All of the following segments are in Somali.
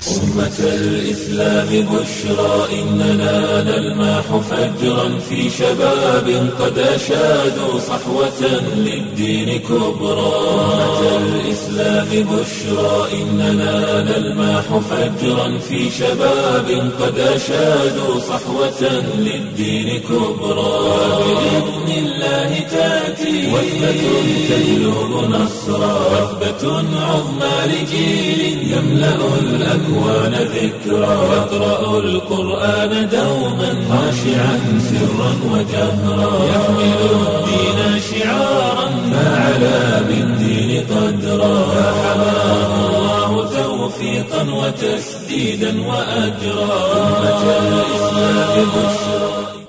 أمة الإسلام بشرى إننا نلمح فجرا في شباب قد أشادوا صحوة للدين كبرى. أمة الإسلام بشرى إننا نلمح فجرا في شباب قد أشادوا صحوة للدين كبرى. بإذن الله تأتي وثبة تجلب نصرا، وثبة عظمى لجيل يملأ الأكوان ذكرى، يقرأ القرآن دوما خاشعا سرا وجهرا، يحمل الدين شعارا فعلى بالدين قدرا، فحماه الله توفيقا وتسديدا وأجرا. أمة الإسلام بشرى.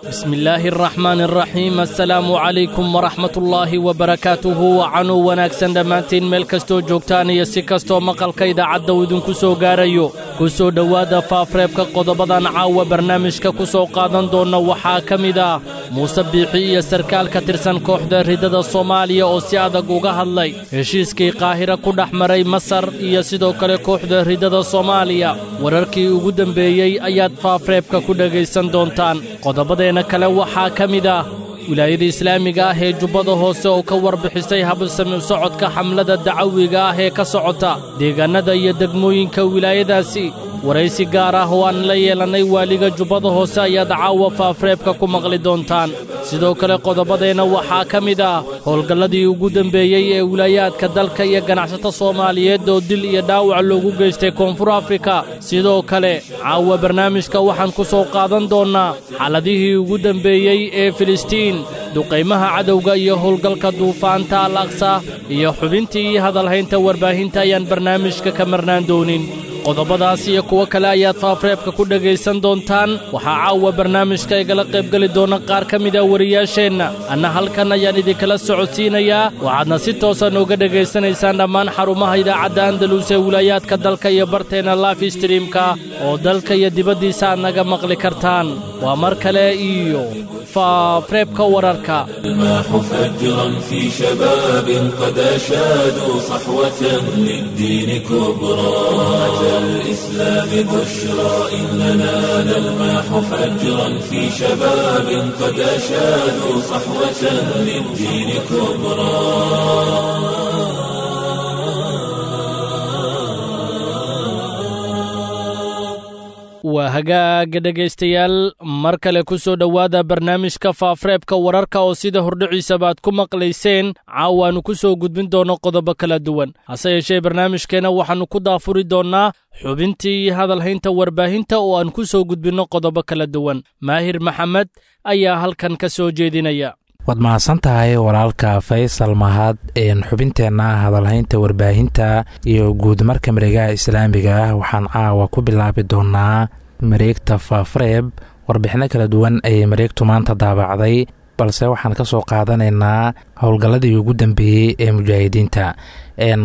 Bismillaahi araxmaani araxiim. Assalaamu calaykum waraxmatullaahi wabarakaatuhu. Wacanuu wanaagsan dhammaantiin meel kastoo joogtaan iyo si kastoo maqalka idaacadda uu idinku soo gaarayo. Ku soo dhowaada faafreebka qodobadan caawa barnaamijka ku soo qaadan doonna. Waxaa ka mid ah Muuse Biixi iyo sarkaal ka tirsan kooxda ridada Soomaaliya oo si adag uga hadlay heshiiskii Qaahira ku dhex maray Masar iyo sidoo kale kooxda ridada Soomaaliya. Wararkii ugu dembeeyey ayaad faafreebka ku dhegaysan doontaan. Qodobadeenna kale waxaa ka mid ah wilaayada islaamiga ah ee Jubbada Hoose oo ka warbixisay habsami u socodka xamlada dacawiga ah ee ka socota deegaannada iyo degmooyinka wilaayadaasi. Waraysi gaar ah oo aan la yeelannay waaliga Jubbada Hoose ayaad caawa faafreebka ku maqli doontaan. Sidoo kale qodobadeenna waxaa ka mid ah howlgalladii ugu dembeeyey ee wilaayaadka dalka iyo ganacsato Soomaaliyeed oo dil iyo dhaawac loogu geystay Koonfur Afrika. Sidoo kale caawa barnaamijka waxaan ku soo qaadan doonnaa xaaladihii ugu dembeeyey ee Filistiin, duqaymaha cadowga iyo howlgalka duufaanta Al Aqsa, iyo xubintii iyo hadalhaynta warbaahinta ayaan barnaamijka ka marnaan doonin. Qodobadaas iyo kuwo kale ayaad faafreebka ku dhegaysan doontaan. Waxaa caawa barnaamijka igala qaybgeli doona qaar ka mida wariyaasheenna, anna halkan ayaan idinkala socodsiinayaa. Waxaadna si toosa nooga dhegaysanaysaan dhammaan xarumaha idaacadda Andalus ee wilaayaadka dalka iyo barteenna live streamka oo dalka iyo dibaddiisa aad naga maqli kartaan. Waa mar kale iyo faafreebka wararka. الماح فجرا في شباب قد أشادوا صحوة للدين كبرى. أمة الإسلام بشرى إننا نلمح فجرا في شباب قد أشادوا صحوة للدين كبرى. Waa hagaaga dhegaystayaal, mar kale ku soo dhowaada barnaamijka faafreebka wararka oo sida hordhiciisaba aad ku maqlayseen caawaannu ku soo gudbin doonno qodobo kala duwan. Hase yeeshee barnaamijkeenna waxaannu ku daafuri doonnaa xubintii hadalhaynta warbaahinta oo aan ku soo gudbinno qodobo kala duwan. Maahir Maxamed ayaa halkan ka soo jeedinaya. Waad mahadsan tahay walaalka Faysal Mahad. Xubinteenna hadalhaynta warbaahinta iyo guud marka mareegaha islaamiga ah waxaan caawa ku bilaabi doonaa mareegta Faafreeb. Warbixino kala duwan ayay mareegtu maanta daabacday, balse waxaan ka soo qaadanaynaa howlgalladii ugu dambeeyey ee mujaahidiinta.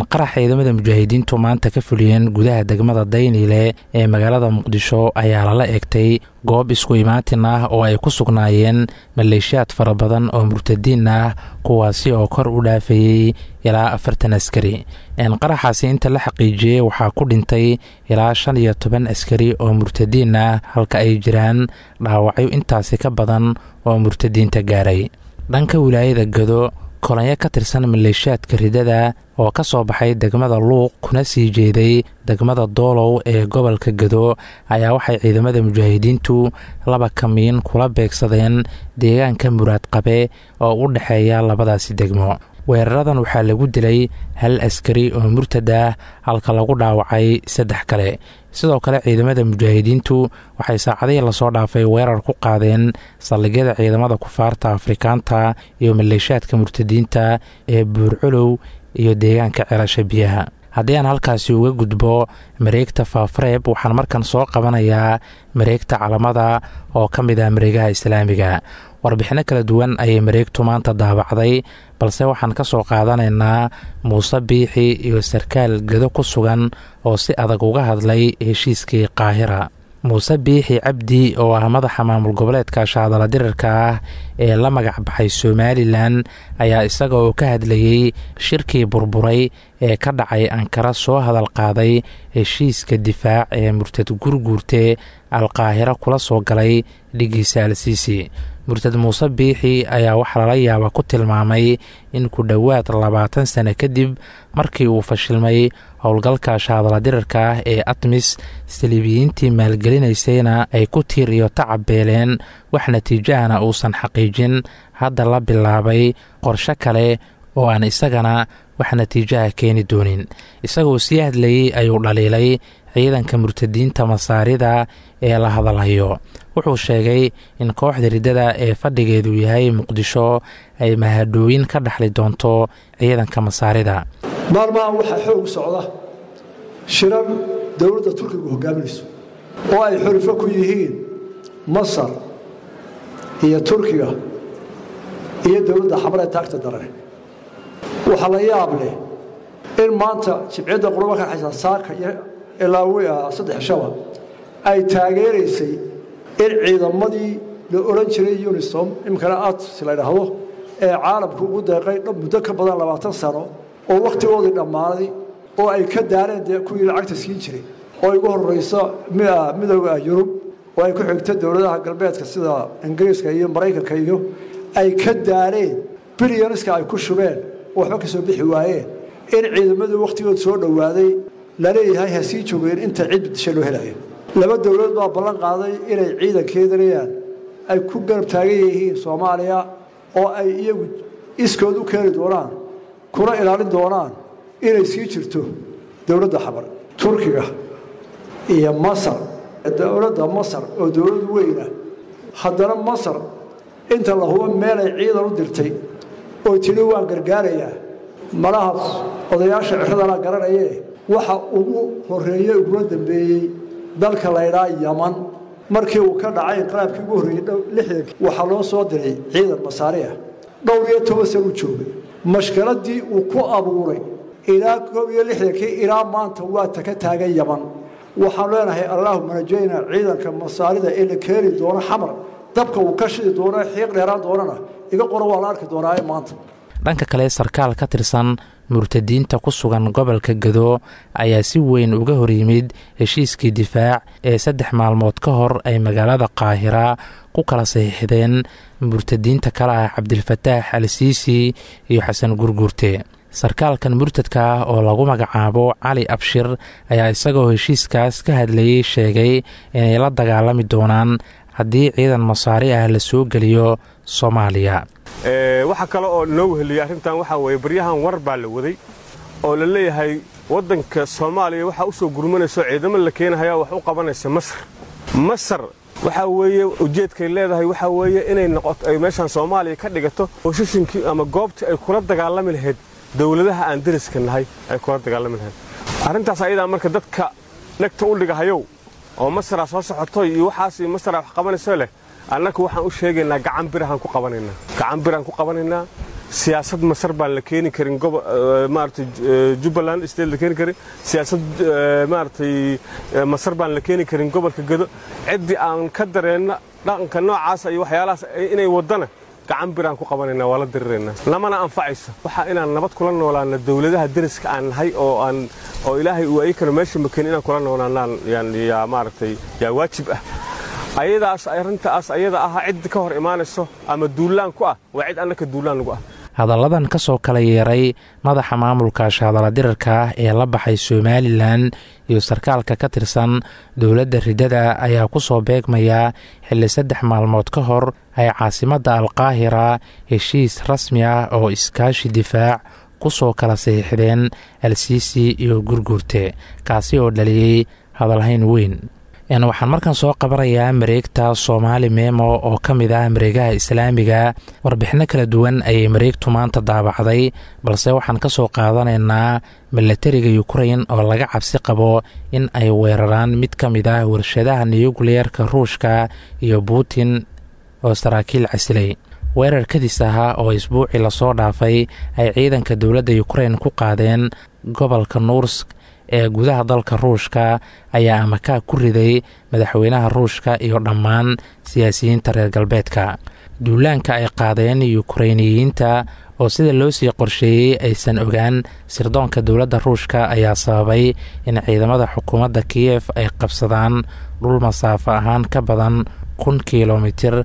Qarax ciidamada mujaahidiintu maanta ka fuliyeen gudaha degmada Dayniile ee magaalada Muqdisho ayaa lala egtay goob isku imaatin ah oo ay ku sugnaayeen maleeshiyaad fara badan oo murtadiin ah, kuwaasi oo kor u dhaafayey ilaa 40 askari. Qaraxaasi inta la xaqiijiyey waxaa ku dhintay ilaa 15 askari oo murtadiin ah, halka ay jiraan dhaawacyo intaasi ka badan oo murtadiinta gaaray. Dhanka wilaayada Gado, kolonyo ka tirsan maleeshiyaadka ridada oo ka soo baxay degmada Luuq kuna sii jeeday degmada Doolow ee gobolka Gado ayaa waxay ciidamada mujaahidiintu laba kamiin kula beegsadeen deegaanka Muraad Qabe oo u dhexeeya labadaasi degmo. Weeraradan waxaa lagu dilay hal askari oo murtad ah, halka lagu dhaawacay saddex kale. Sidoo kale ciidamada mujaahidiintu waxay saacadihii lasoo dhaafay weerar ku qaadeen saldhigyada ciidamada kufaarta Afrikaanta iyo maleeshiyaadka murtadiinta ee Buurculow iyo deegaanka Celasha Biyaha. Haddii aan halkaasi uga gudbo mareegta Faafreeb, waxaan markan soo qabanayaa mareegta Calamada oo ka mid ah mareegaha islaamiga. Warbixino kala duwan ayay mareegtu maanta daabacday, balse waxaan ka soo qaadanaynaa Muuse Biixi iyo sarkaal Gedo ku sugan oo si adag uga hadlay heshiiskii Qaahira. Muuse Biixi Cabdi oo ah madaxa maamul goboleedka shaadala dirirka ah ee la magac baxay Somalilan ayaa isaga oo ka hadlayey shirkii burburay ee ka dhacay Ankara soo hadal qaaday heshiiska difaac ee murtad Gurguurte Alqaahiro kula soo galay dhigiisa Al Siisi. Murtad Muuse Biixi ayaa waxaa lala yaaba ku tilmaamay in ku dhowaad 20 sano kadib markii uu fashilmay howlgalka shaadala dirirka ah ee ATMIS, saliibiyiintii maalgelinaysayna ay ku tiir iyo tacab beeleen, wax natiijahana uusan xaqiijin, hadda la bilaabay qorsho kale oo aan isagana wax natiijaha keeni doonin. Isagoo sii hadlayey ayuu dhaliilay ciidanka murtadiinta Masaarida ee la hadalhayo. Wuxuu sheegay in kooxda riddada ee fadhigeedu yahay Muqdisho ay mahadhooyin ka dhexli doonto ciidanka Masaarida. Maalmahan waxaa xoog socda shirar dowladda Turkigu hogaaminayso oo ay xulufo ku yihiin Masar iyo Turkiga iyo dowladda Xamar ee taagta darane. Waxaa la yaab leh in maanta Jibciyadda Qurba ka xaysa saaka iyo ilaa saddex shaba ay taageeraysay in ciidamadii la odhan jiray UNISOM, iminkana ATS la idhaahdo, ee caalamku ugu deeqay muddo ka badan 20 sano oo wakhtigoodii dhammaaday oo ay ka daareen dee kuwii lacagta siin jiray, oo igu horrayso Midooda Yurub oo ay ku xigto dowladaha galbeedka sida Ingiriiska iyo Maraykanka, iyo ay ka daareen bilyanska ay ku shubeen oo waxba ka soo bixi waayeen, in ciidamadii wakhtigood soo dhowaaday laleeyahay ha sii joogeen inta cid bedesha loo helayo. Laba dowlad baa ballan qaaday inay ciidankeedanayaan ay ku garab taagan yihiin Soomaaliya oo ay iyagu iskood u keeni doonaan kuna ilaalin doonaan inay sii jirto dowladda Xamar, Turkiga iyo Masar. Dowladda Masar oo dowlad weyna, haddana Masar inta la hubo meelay ciidan u dirtay oo tidhi waan gargaarayaa malaha odayaasha ciradana garanayee. Waxa ugu horreeyey uguna dambeeyey dalka laydhaa Yaman markii uu ka dhacay inqilaabkii ugu horreeyey 60-kii, waxaa loo soo diray ciidan Masaari ah. Dhowr iyo toban san uu joogay, mashkaladii uu ku abuuray ilaa 61-kii ilaa maanta waa taka taagan Yaman. Waxaan leenahay allaahuma najayna. Ciidanka Masaarida ee la keeni doono Xamar, dabka uu ka shidi doono xiiq dheeraan doonana iga qoro, waa la arki doonaaye maanta. Dhanka kale, sarkaal ka tirsan murtadiinta ku sugan gobolka Gado ayaa si weyn uga hor yimid heshiiskii difaac ee 3 maalmood ka hor ay magaalada Qaahira ku kala saxiixdeen murtadiinta kale ah Cabdilfataax Al Siisi iyo Xasan Gurguurte. Sarkaalkan murtadka ah oo lagu magacaabo Cali Abshir ayaa isagoo heshiiskaas ka hadlayey sheegay inay la dagaalami doonaan haddii ciidan Masaari ah la soo geliyo Soomaaliya. Waxaa kale oo noo weheliyey arrintan waxaa weeye baryahan war baa la waday oo la leeyahay waddanka Soomaaliya waxaa u soo gurmanayso ciidamo la keenahayaa wax u qabanaysa Masar. Masar waxaa weeye ujeedkay leedahay waxaa weeye inay noqoto ay meeshaan Soomaaliya ka dhigato boosashinkii ama goobtii ay kula dagaalami lahayd dawladaha aan deriska nahay ay kula dagaalami lahayd. Arrintaas ayadaa marka dadka dhegta u dhigahayow oo Masaraa soo socotoy iyo waxaas iyo Masaraa wax qabanayso leh, annaku waxaan u sheegaynaa gacan birahaan ku qabanaynaa, gacan biraan ku qabanaynaa. Siyaasad Masar baan la keeni karin maaragtay Jubbaland state la keeni karin, siyaasad maaragtay Masar baan la keeni karin gobolka Gado. Ciddii aan ka dareenna dhaqanka noocaasa iyo waxyaalahaas inay waddana gacan biraan ku qabanaynaa, waa la diriraynaa, lamana anfacayso. Waxaa inaan nabad kula noolaano dawladaha deriska aan nahay oo aan oo Ilaahay uu ayakana meesha makeeni inaan kula noolaanaan yaa maaragtay yaa waajib ah. Ayadaas arrintaas ayada ah cid ka hor imaanayso ama duulaan ku ah waa cid annaka duulaan lagu ah. Hadalladan ka soo kala yeeray madaxa maamulka shaadala dirirka ah ee la baxay Somalilan iyo sarkaalka ka tirsan dowladda riddada ayaa ku soo beegmaya xilli 3 maalmood ka hor ay caasimadda Alqaahira heshiis rasmi ah oo iskaashi difaac ku soo kala saxiixdeen Al Siisi iyo Gurguurte, kaasi oo dhaliyey hadalhayn weyn. Waxaan markan soo qabanayaa mareegta Soomaali Memo oo ka mid ah mareegaha islaamiga. Warbixino kala duwan ayay mareegtu maanta daabacday, balse waxaan ka soo qaadanaynaa milatariga Ukrain oo laga cabsi qabo in ay weeraraan mid ka mid ah warshadaha niyukliyeerka Ruushka iyo Putin oo saraakiil casilay. Weerar kadis ahaa oo isbuucii lasoo dhaafay ay ciidanka dowladda Ukrain ku qaadeen gobolka Nuursk ee gudaha dalka Ruushka ayaa amakaa ku riday madaxweynaha Ruushka iyo dhammaan siyaasiyiinta reer galbeedka. Duulaanka ay qaadeen Yukrainiyiinta oo sida loo sii qorsheeyey aysan ogaan sirdoonka dowladda Ruushka ayaa sababay in ciidamada xukuumadda Kiyef ay qabsadaan dhul masaafo ahaan ka badan 1000 kilomitir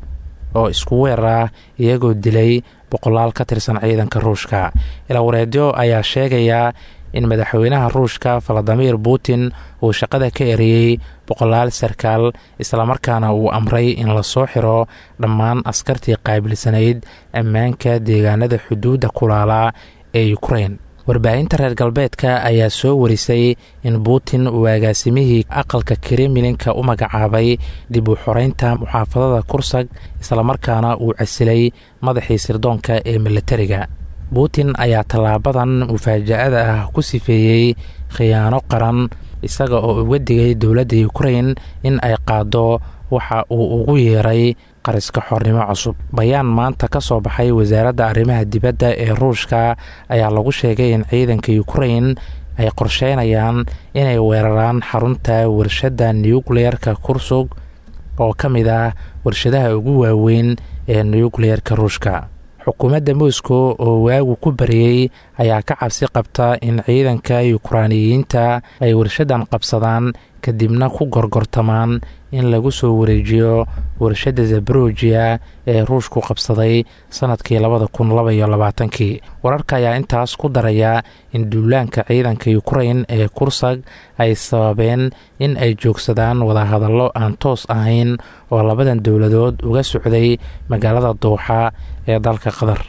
oo isku weer ah, iyagoo dilay boqolaal ka tirsan ciidanka Ruushka. Ilawareedyo ayaa sheegaya in madaxweynaha Ruushka Valadimir Putin uu shaqada ka eriyey boqolaal sarkaal, islamarkaana uu amray in lasoo xiro dhammaan askartii qaabilsanayd ammaanka deegaanada xuduudda kulaala ee Ukrain. Warbaahinta reer galbeedka ayaa soo warisay in Putin uu agaasimihii aqalka Kremlinka u magacaabay dib u xoreynta muxaafadada Kursag, islamarkaana uu casilay madaxii sirdoonka ee militariga. Putin ayaa tallaabadan mufaaja'ada ah ku sifeeyey khiyaano qaran, isaga oo uga digay dowladda Ukrain in ay qaado waxa uu ugu yeeray qariska xornimo cusub. Bayaan maanta ka soo baxay wasaaradda arrimaha dibadda ee Ruushka ayaa lagu sheegay in ciidanka Ukrain ay qorsheynayaan inay weeraraan xarunta warshadda nukliyeerka Kursug oo ka mid ah warshadaha ugu waaweyn ee nukliyeerka Ruushka. Xukuumadda Moscow oo waagu ku bariyey ayaa ka cabsi qabta in ciidanka Yukraaniyiinta ay warshaddan qabsadaan, kadibna ku gorgortamaan in lagu soo wareejiyo warshadda Zaborojiya ee Ruushku qabsaday sanadkii 2022-kii. Wararka ayaa intaas ku daraya in duulaanka ciidanka Ukrain ee Kursag ay sababeen in ay joogsadaan wadahadallo aan toos ahayn oo labadan dowladood uga socday magaalada Dooxa ee dalka Qatar.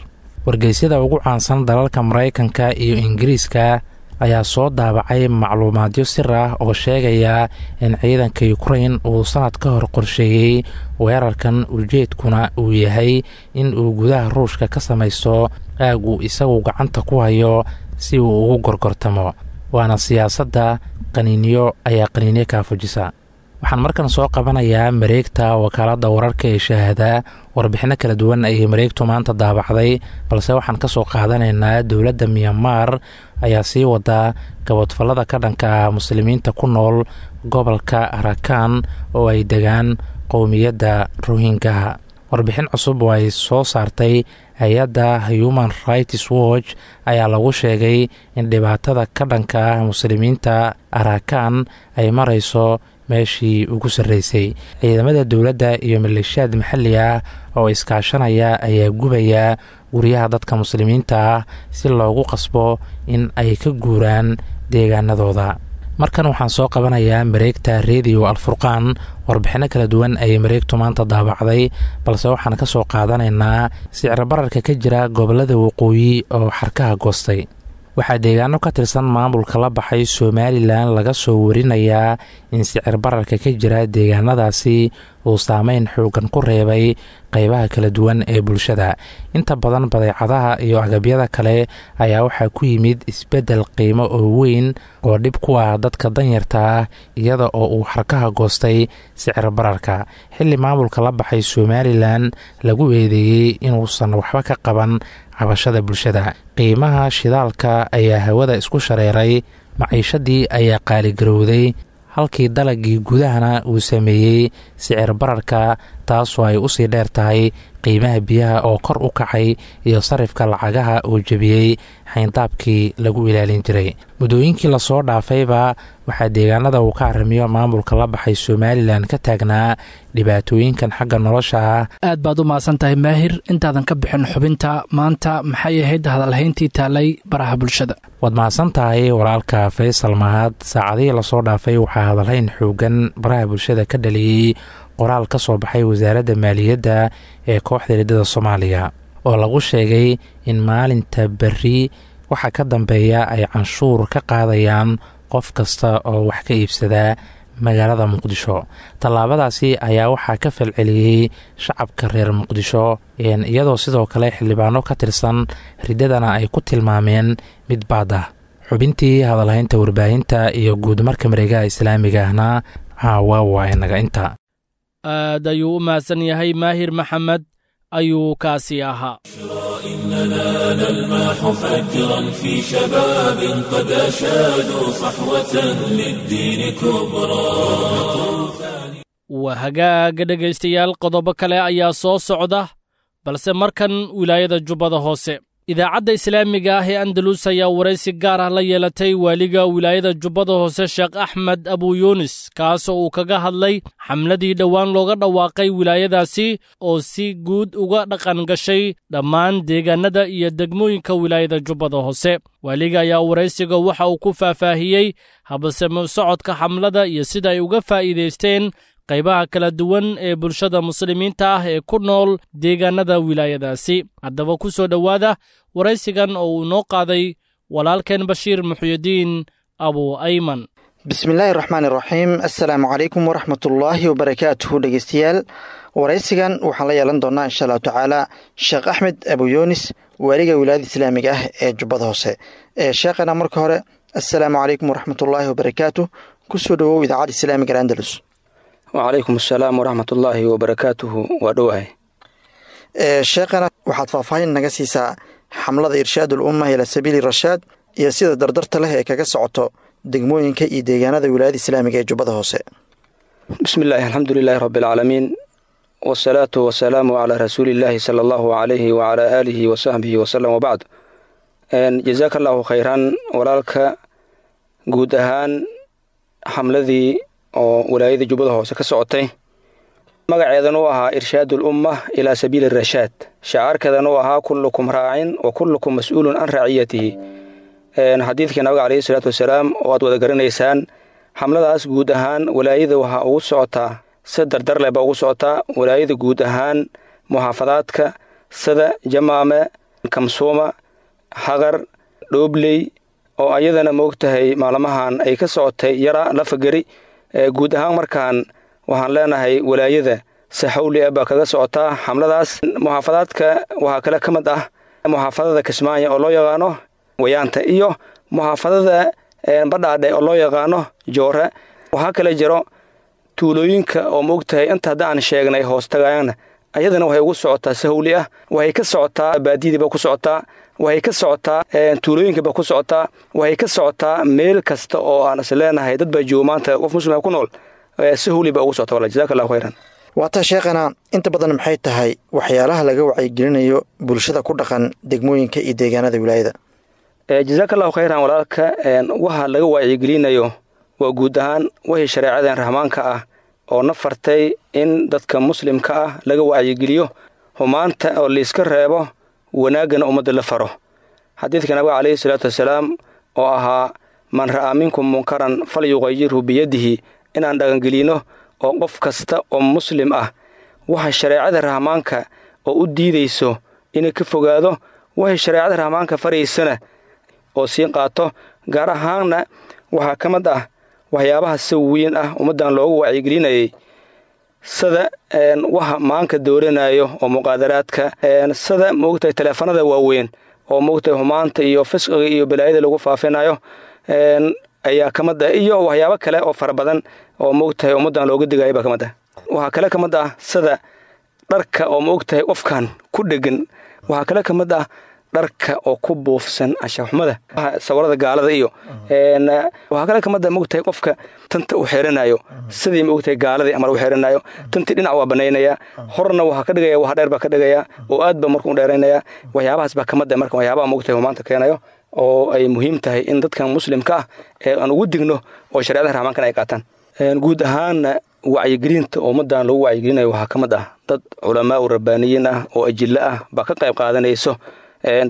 Wargeysyada ugu caansan dalalka Maraykanka iyo Ingiriiska ayaa soo daabacay macluumaadyo sir ah oo sheegaya in ciidanka Ukrain uu sanad ka hor qorsheeyey weerarkan, ujeedkuna uu yahay in uu gudaha Ruushka ka samaysto aag uu isagu gacanta ku hayo si uu ugu gorgortamo. Waana siyaasadda qaniinyo ayaa qaniinyo kaafujisa. Waxaan markan soo qabanayaa mareegta wakaaladda wararka ee Shahaada. Warbixino kala duwan ayay mareegtu maanta daabacday, balse waxaan ka soo qaadanaynaa dowladda Myanmar ayaa sii wadaa gabodfallada ka dhanka ah muslimiinta ku nool gobolka Arakan oo ay degaan qowmiyadda Rohingaha. Warbixin cusub oo ay soo saartay hay-adda Human Rights Watch ayaa lagu sheegay in dhibaatada ka dhanka ah muslimiinta Arakan ay marayso meeshii ugu sarreysay. Ciidamada dowladda iyo maleeshiyaad maxalli ah oo iskaashanaya ayaa gubaya guryaha dadka muslimiinta ah si loogu qasbo in ay ka guuraan deegaanadooda. Markan waxaan soo qabanayaa mareegta Rediyo Alfurqaan. Warbixino kala duwan ayay mareegtu maanta daabacday, balse waxaan ka soo qaadanaynaa sicir bararka ka jira gobolada waqooyi oo xarkaha goostay. Waxaa deegaano ka tirsan maamulka la baxay Somalilan laga soo warinayaa in sicir bararka ka jira deegaanadaasi uu saameyn xoogan ku reebay qeybaha kala duwan ee bulshada. Inta badan badeecadaha iyo agabyada kale ayaa waxaa ku yimid isbeddel qiimo oo weyn oo dhib ku ah dadka danyarta ah, iyada oo uu xarkaha goostay sicir bararka, xilli maamulka la baxay Somalilan lagu eedeeyey inuusan waxba ka qaban cabashada bulshada. Qiimaha shidaalka ayaa hawada isku shareeray, maciishadii ayaa qaaligarowday, halkii dalagii gudahana uu sameeyey sicir bararka, taasoo ay usii dheer tahay qiimaha biyaha oo kor u kacay iyo sarifka lacagaha oo jebiyey xayndaabkii lagu ilaalin jiray. Muddooyinkii lasoo dhaafayba waxaa deegaanada uu ka arrimiyo maamulka la baxay Somalilan ka taagnaa dhibaatooyinkan xagga nolosha ah. Aad baad u mahadsan tahay Maahir. Intaadan ka bixin xubinta maanta, maxay ahayd hadalhayntii taalay baraha bulshada? Waad mahadsan tahay walaalka Faysal Mahad. Saacadihii lasoo dhaafay waxaa hadalhayn xoogan baraha bulshada ka dhaliyey qoraal ka soo baxay wasaaradda maaliyadda ee kooxda riddada Soomaaliya oo lagu sheegay in maalinta berri waxa ka dambeeya ay canshuur ka qaadayaan qof kasta oo wax ka iibsadaa magaalada Muqdisho. Tallaabadaasi ayaa waxaa ka falceliyey shacabka reer Muqdisho, iyadoo sidoo kale xildhibaano ka tirsan riddadana ay ku tilmaameen mid baad ah. Xubintii hadalhaynta warbaahinta iyo guud marka mareegaha islaamiga ahna caawa waa inaga inta. Aad ayuu u mahadsan yahay Maahir Maxamed ayuu kaasi ahaa. إننا نلمح فجرا في شباب قد أشادوا صحوة للدين كبرى. Waa hagaaga dhegaystayaal, qodobo kale ayaa soo socda, balse markan wilaayada Jubbada Hoose. Idaacadda islaamiga ah ee Andalus ayaa waraysi gaar ah la yeelatay waaliga wilaayada Jubbada Hoose, Sheekh Axmed Abuyunis, kaasoo uu kaga hadlay xamladii dhowaan looga dhawaaqay wilaayadaasi oo si guud uga dhaqan gashay dhammaan deegaannada iyo degmooyinka wilaayada Jubbada Hoose. Waaliga ayaa waraysiga waxa uu ku faahfaahiyey habsame socodka xamlada iyo sida ay uga faa'iidaysteen qaybaha kala duwan ee bulshada muslimiinta ah ee ku nool deegaannada wilaayadaasi. Haddaba ku soo dhowaada waraysigan oo uu noo qaaday walaalkeen Bashiir Muxyidiin Abu Ayman. Bismillaahi raxmaan iraxiim. Assalaamu calaykum waraxmatullaahi wabarakaatuhu. Dhegeystayaal, waraysigan waxaan la yeelan doonaa insha allahu tacaala Sheekh Axmed Abuyoonis, waaliga wilaayada islaamiga ah ee Jubbada Hoose. Sheekhana, marka hore assalaamu calaykum waraxmatullaahi wabarakaatuh, kusoo dhowow idaacadda islaamiga Andalus. Wacalaykum asalaam waraxmatullaahi wabarakaatuhu. Waa dhowahay. Sheekhana, waxaad faahfaahin naga siisaa xamlada Irshaadul Umma ilaa Sabiili Rashaad iyo sida dardarta leh ee kaga socoto degmooyinka iyo deegaanada wilaayada islaamiga ee Jubbada Hoose. Bismi illaahi, alxamdu lilaahi rabbi alcaalamiin, wasalaatu wasalaamu calaa rasuulillaahi sala allahu calayhi wacalaa aalihi wasaxbihi wasalam, wabacd. Jazaaka allahu khayran, walaalka. Guud ahaan xamladii oo walaayada Jubbada Hoose ka socotay, magaceedana u ahaa Irshaadul Umma ilaa Sabiili Rashaad, shacaarkeedana u ahaa kullukum raacin wa kullukum mas-uulun can raaciyatihi, xadiidkii nabiga caleyhi salaatu wasalaam oo aad wada garanaysaan. Xamladaas guud ahaan walaayada waxaa ugu socotaa si dardarleh baa ugu socotaa walaayada guud ahaan muxaafadaadka sida Jamaame, Kamsuuma, Xaqar, Dhoobley, oo ayadana moogtahay maalmahan ay ka socotay Yara Lafageri. Guud ahaan markaan waxaan leenahay walaayada si xawli ah baa kaga socotaa xamladaas. Muxaafadaadka waxaa kale ka mid ah muxaafadada Kismaayo oo loo yaqaano Wayaanta iyo muxaafadada Badhaadhe oo loo yaqaano Joore. Waxaa kale jiro tuulooyinka oo maogtahay inta hadda aan sheegnay hoostagaayana, ayadana waxay ugu socotaa si hawli ah. Waxay ka socotaa baadiyadiiba ku socotaa, waxay ka socotaa tuulooyinkiiba ku socotaa, waxay ka socotaa meel kasta oo aan is leenahay dad baa joogo maanta, qof muslima ku nool, si hawli baa ugu socota wala. Jazaaka allahu khayran. Waataa sheekhana, inta badan maxay tahay waxyaalaha laga wacyigelinayo bulshada ku dhaqan degmooyinka iyo deegaanada wilaayada? Jazaaka allahu khayran, walaalka. Waxa laga wacyigelinayo waa guud ahaan wixii shareecadan rahmaanka ah oo na fartay in dadka muslimka ah laga wacyigeliyo humaanta oo layska reebo, wanaaggana ummadda la faro. Xadiidka nabiga caleyhi salaatu wasalaam oo ahaa man ra'aa minkum munkaran falyuqayirhu biyadihi, inaan dhaqangelino oo qof kasta oo muslim ah waxa shareecada rahmaanka oo u diidayso inay ka fogaado, waxay shareecada rahmaanka faraysana oo sii qaato. Gaar ahaanna waxaa ka mid ah waxyaabaha si weyn ah ummaddan loogu wacyigelinayay sida waxa maanka dooranayo oo muqaadaraadka, sida moogtahay taleefanada waaweyn oo moogtahay humaanta iyo fisqiga iyo balaayada lagu faafinayo ayaa ka mid ah, iyo waxyaabo kale oo fara badan oo moogtahay ummaddan looga digayo baa ka mid ah. Waxaa kale ka mid ah sida dharka oo maogtahay qofkan ku dhegan. Waxaa kale ka mid ah dharka oo ku buufsan anshaxxumada, sawirada gaalada, iyo waxaa kale kamid ah maogtahay qofka tanta u xeeranayo sidii maogtahay gaaladii amar u xeeranayo. Tantii dhinac waa banaynaya, horna waxaa ka dhigaya wax dheer baa ka dhigaya oo aad ba marka u dheeraynaya. Waxyaabahaas baa kamid ah marka waxyaabaha maogtahay humaanta keenayo oo ay muhiim tahay in dadkan muslimka ah ee aan ugu digno oo shareecada rahmaankan ay qaataan. Guud ahaanna wacyigelinta ummaddan lagu wacyigelinayo waxaa ka mid ah dad culamaa u rabbaaniyiin ah oo ajillo ah baa ka qayb qaadanayso.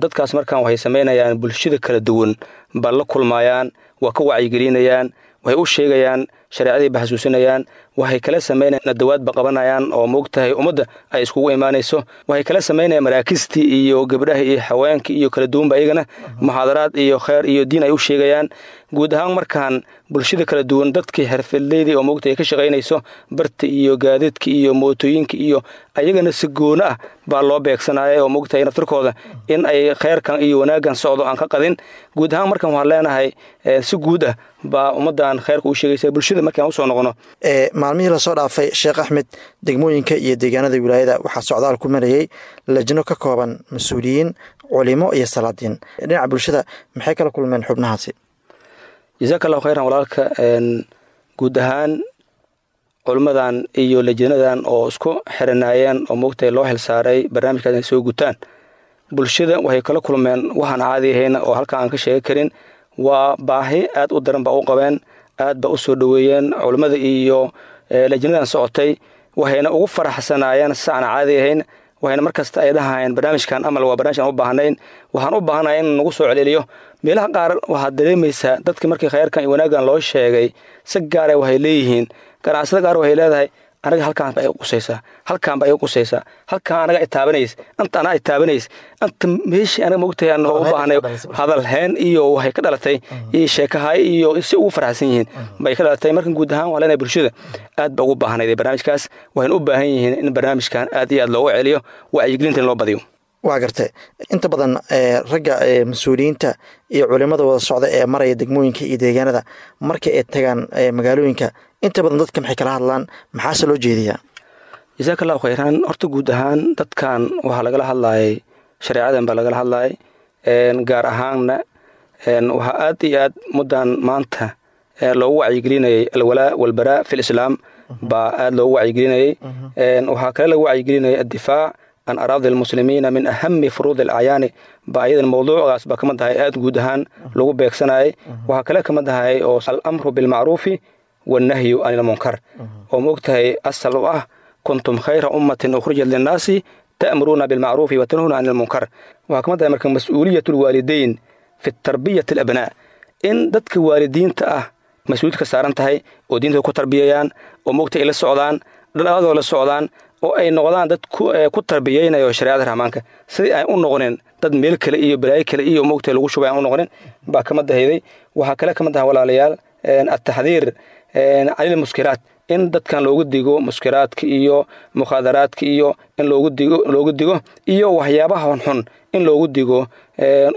Dadkaas markaan waxay samaynayaan bulshada kala duwan baa la kulmayaan, waa ka wacyigelinayaan, waxay u sheegayaan shareecadii ba xasuusinayaan, waxay kala samaynayan nadawaad ba qabanayaan oo moogtahay ummadda ay iskugu imaanayso. Waxay kala samaynayaan maraakistii iyo gabdhaha iyo haweenkii iyo kala duwanba, iyagana muxaadaraad iyo kheer iyo diin ay u sheegayaan. Guud ahaan markaan bulshada kala duwan, dadkii xirfadleydii oo moogtahay ka shaqaynayso barta iyo gaadiidka iyo mootooyinka iyo ayagana si goono ah baa loo beegsanaya oo moogtahay naftirkooda in ay kheyrkan iyo wanaaggan socdo aan ka qadin. Guud ahaan markan waxaan leenahay si guud ah baa ummaddan kheyrka u sheegaysa bulshada markaan usoo noqono. Maalmihii lasoo dhaafay, Sheekh Axmed, degmooyinka iyo deegaanada wilaayada waxaa socdaal ku marayey lajno ka kooban mas-uuliyiin, culimo iyo salaadiin. Dhinaca bulshada maxay kala kulmeen xubnahaasi? Jazaaka allahu khayran walaalka. Guud ahaan culimmadan iyo lajnadan oo isku xiranaayeen oo moogtahay loo xilsaaray barnaamijkaas inay soo gutaan, bulshada waxay kala kulmeen waxaan caadi ahayn oo halkan aan ka sheegi karin. Waa baahi aad u daran baa u qabeen, aad baa u soo dhoweeyeen culimmada iyo lajnadan socotay, waxayna ugu faraxsanaayeen si aan caadi ahayn. Waxayna markasta ay dhahayeen barnaamijkan amal waa barnamij aan u baahnayn, waxaan u baahanahay in nagu soo celceliyo. Meelaha qaar waxaad dareemaysaa dadkii markii khayrkan iyo wanaaggan loo sheegay si gaara waxay leeyihiin, ganacsada qaar waxay leedahay anaga halkaan ba iga qusaysaa, halkaan ba iga qusaysaa, halkaan anaga itaabanaysa, anta anaa itaabanaysa, anta meeshii anaga mogtahay aan u baahnay. Hadal heen iyo waxay ka dhalatay iyo sheekahay iyo si ugu faraxsan yihiin bay ka dhalatay. Markan guud ahaan waa leenahay bulshada aad ba ugu baahnayd barnaamijkaas, waxayna u baahan yihiin in barnaamijkan aad iyo aad loogu celiyo, wacyigelinta in loo badiyo. Waa gartay. Inta badan ragga mas-uuliyiinta iyo culimada wada socda ee maraya degmooyinka iyo deegaanada, marka ay tagaan magaalooyinka, inta badan dadka maxay kala hadlaan, maxaase loo jeediyaa? Jazaaka allahu khayran. Horta guud ahaan dadkan waxaa lagala hadlaayay shareecadan baa lagala hadlaayay, gaar ahaanna waxaa aad iyo aad muddan maanta loogu wacyigelinayay alwalaa walbaraa fi lislaam baa aad loogu wacyigelinayay. Waxaa kale lagu wacyigelinayay addifaac an araadi almuslimiina min ahami furuudi alacyaani baa iyadan mawduucaas baa kamid ahay aad guud ahaan lagu beegsanayay. Waxaa kale kamid ahay oo alamru bilmacruufi wannahyu can ilmunkar oo maogtahay asal u ah kuntum khayra ummatin ukhrijat linnaasi ta'muruuna bilmacruufi wa tanhuuna can ilmunkar. Waxaa kamid ahay marka mas-uuliyat alwaalidayn fi tarbiyati alabnaa, in dadka waalidiinta ah mas-uuliyad ka saaran tahay oo diintooda ku tarbiyayaan oo maogtahay ay la socdaan, dhadhaadoo la socdaan, oo ay noqdaan dad ku tarbiyeynayo shareecada rahmaanka, sidii ay u noqonin dad meel kale iyo balaayo kale iyo mogtahay lagu shubay aan u noqonin baa kamid ahayday. Waxaa kale kamid aha walaalayaal ataxdiir canil muskiraat, in dadkan loogu digo muskiraadka iyo mukhaadaraadka iyo in loogu digo iyo waxyaabaha xunxun in loogu digo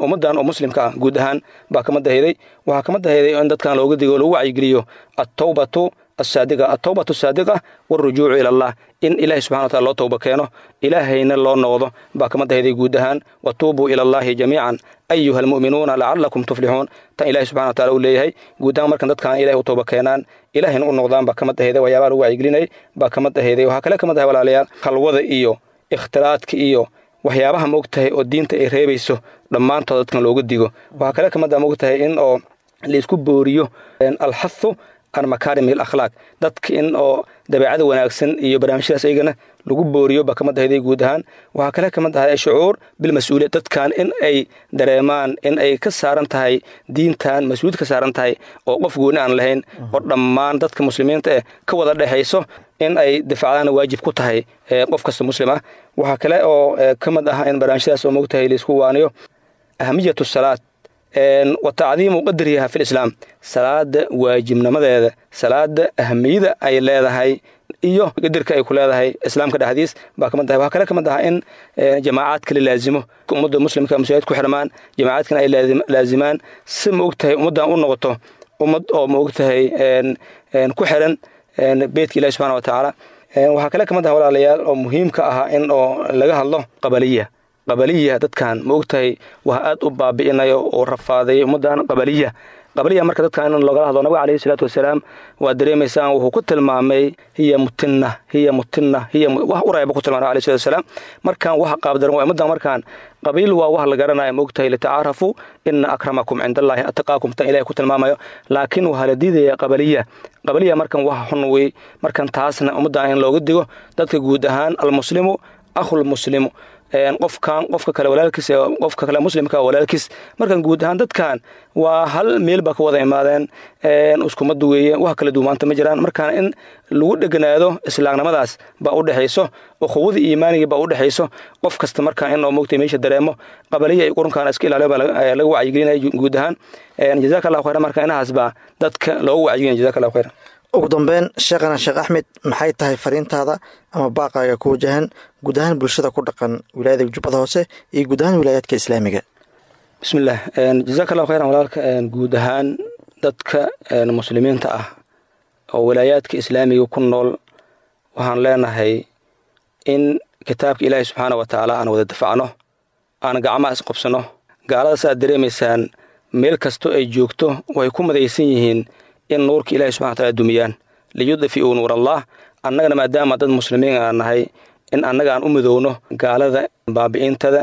ummaddan oo muslimka ah guud ahaan baa kamid ahayday. Waxaa kamid ahayday in dadkan loogu digo, lagu wacyigeliyo attawbatu asaadiqa, atawbatu saadiqa warujuucu ila allah, in ilahay subxana wataala loo towba keeno, ilaahayna loo noqdo baa kamid ahayday guud ahaan. Watuubuu ila allahi jamiican ayuha almu'minuuna lacalakum tuflixuun, tan ilahay subxana wataala uu leeyahay guud ahaan. Markan dadkan ilahay u towba keenaan, ilaahayna u noqdaan baa kamid ahayday waxyaabaha lagu wacyigelinayay baa kamid ahayday. Waxaa kale kamid ahay walaalayaal khalwada iyo ikhtilaadka iyo waxyaabaha moogtahay oo diinta ay reebayso dhammaantood dadkan looga digo. Waxaa kale kamid ah moogtahay in oo laisku booriyo alxathu an makaarim alakhlaaq, dadka in oo dabeecada wanaagsan iyo barnaamijyadaas iyagana lagu booriyo baa kamid ahayday guud ahaan. Waxaa kale kamid ahay shucuur bilmas-uuliyad, dadkan in ay dareemaan in ay ka saaran tahay diintan mas-uuliyad ka saaran tahay oo qof gooni aan lahayn oo dhammaan dadka muslimiinta eh ka wada dhexayso, in ay difacdaana waajib ku tahay qof kasta muslim ah. Waxaa kale oo ka mid ah in barnaamijyadaas oo mogtahay laisku waaniyo ahamiyatu salaad wa tacdiimu qadriha fi lislaam, salaada waajibnimadeeda, salaada ahamiyada ay leedahay iyo qadarka ay ku leedahay islaamka dhexdiis baa kamid tahay. Waxaa kale kamid ah in jamaacaadka la laazimo, ummadda muslimka masaajid ku xirmaan, jamaacaadkana ay laazimaan si ma ogtahay ummaddan u noqoto ummad oo ma ogtahay ku xiran beytka ilahi subxana wa tacaala. Waxaa kale kamid ah walaalayaal oo muhiimka ahaa in oo laga hadlo qabaliya. Qabaliya dadkan ma ogtahay waa aad u baabi'inayo oo rafaadayay ummaddan qabaliya. Qabaliya marka dadkan in loogala hadlo, nabiga calayhi salaatu wasalaam waa dareemaysaan wuxuu ku tilmaamay hiya mutinna, hiya mutinna, hiya wax urayba ku tilmaamay alayhi salaatu wasalaam. Markaan wax qaabdaran waa ummaddan, markaan qabiil waa wax la garanayo ma ogtahay, litacaarafu ina akramakum cinda allahi ataqaakum, tan ilahay ku tilmaamayo. Laakiin waxaa la diidaya qabaliya. Qabaliya markan wax xun wey, markan taasna ummaddan in looga digo dadka guud ahaan. Almuslimu akhulmuslimu, qofkan qofka kale walaalkiis, qofka kale muslimka walaalkiis. Markan guud ahaan dadkan waa hal meel baa ka wada imaadeen, iskumad weeye, wax kala duwmaanta ma jiraan. Markaan in lagu dheganaado islaamnimadaas baa u dhexayso, ukhuwada iimaaniga baa u dhexayso qof kasta. Markaan in oo moogtay meesha dareemo qabaliya iyo qurunkaana iska ilaaliyo baa laga wacyigelinaya guud ahaan. Jazaaka allahu khayran. Marka inahaas baa dadka loogu wacyigelinaya. Jazaaka allahu khayran. Ugu dambeyn, sheekhana Sheekh Axmed, maxay tahay fariintaada ama baaqaaga ku wajahan guud ahaan bulshada ku dhaqan wilaayada Jubbada Hoose iyo guud ahaan wilaayaadka islaamiga? Bismillaah, jazaaka allahu khayran walaalka. Guud ahaan dadka muslimiinta ah oo walaayaadka islaamiga ku nool waxaan leenahay in kitaabka ilaahay subxaana wa tacaala aan wada dafacno, aan gacmaha isqobsanno. Gaaladaas aad dareemaysaan meel kasto ay joogto way ku madaysan yihiin in nuurka ilahay subxana wa taala dumiyaan, liyudfi'uu nuurallah. Annagana maadaama dad muslimiin aan nahay, in annaga aan u midowno gaalada baabi'intada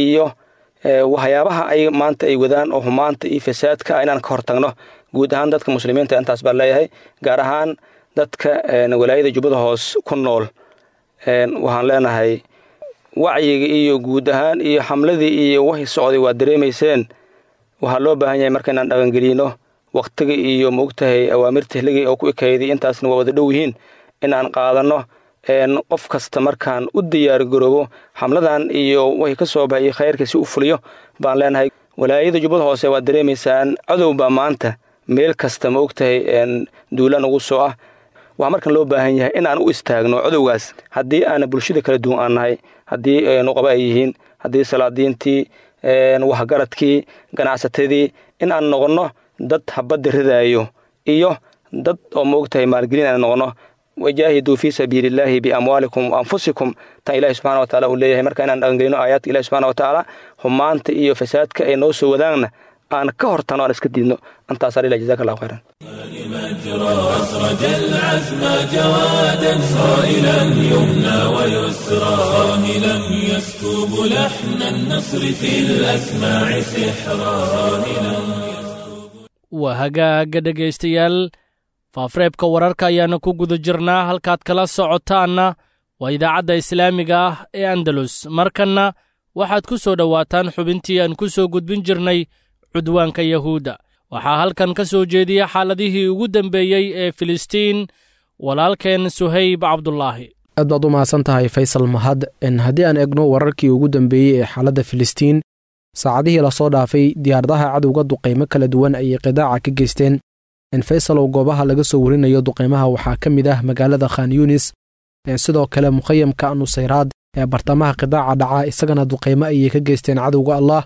iyo waxyaabaha ay maanta ay wadaan oo humaanta iyo fasaadka ah inaan ka hortagno. Guud ahaan dadka muslimiinta intaas baan leeyahay, gaar ahaan dadka walaayada Jubbada Hoos ku nool waxaan leenahay wacyiga iyo guud ahaan iyo xamladii iyo wixii socday waad dareemayseen. Waxaa loo baahan yahay marka inaan dhaqangelino waqtiga iyo maogtahay awaamirta xilligii oo ku ekayday, intaasna waa wada dhow yihiin in aan qaadanno. Qof kasta markaan u diyaar garoobo xamladan iyo wixii ka soo baxay khayrka si u fuliyo baan leenahay. Walaayada Jubbada Hoose waad dareemaysaan cadow baa maanta meel kasta ma ogtahay duulaan ugu soo ah. Waxaa markan loo baahan yahay in aan u istaagno cadowgaas, haddii aana bulshada kala duwan aan nahay, haddii nuqaba ay yihiin, haddii salaadiintii, waxgaradkii, ganacsatadii, in aan noqonno dad habadda ridaayo iyo dad oo ma ogtahay maalgelin aan noqonno. Wajaahiduu fii sabiilillaahi biamwaalikum wa anfusikum, tan ilahi subxana wa taala uu leeyahay. Marka inaan dhaqangelino aayaadka ilahi subxana wa tacaala, humaanta iyo fasaadka ay noo soo wadaanna aan ka hortano, aan iska diidno. Intaasaa lilah, jazaka allahu khayran. أسرج العزم جوادا صائلا يمنى ويسرى، صاهلا يسكب لحن النصر في الأسماع سحرا. Waa hagaaga dhegaystayaal, faafreebka wararka ayaana ku guda jirnaa, halkaad kala socotaanna waa idaacadda islaamiga ah ee Andalus. Markanna waxaad ku soo dhowaataan xubintii aan ku soo gudbin jirnay cudwaanka Yahuudda. Waxaa halkan ka soo jeediya xaaladihii ugu dambeeyey ee Filistiin walaalkeen Suhayb Cabdulaahi. Aad baad u mahadsan tahay Faysal Mahad. Haddii aan eegno wararkii ugu dambeeyey ee xaaladda Filistiin, saacadihii lasoo dhaafay diyaaradaha cadowga duqaymo kala duwan ayay qidaaca ka geysteen. Faysal oo goobaha laga soo warinayo duqaymaha waxaa ka mid ah magaalada Khan Yunis, sidoo kale mukhayamka Nusayraad ee bartamaha qidaaca dhaca, isagana duqaymo ayay ka geysteen cadowga Allah.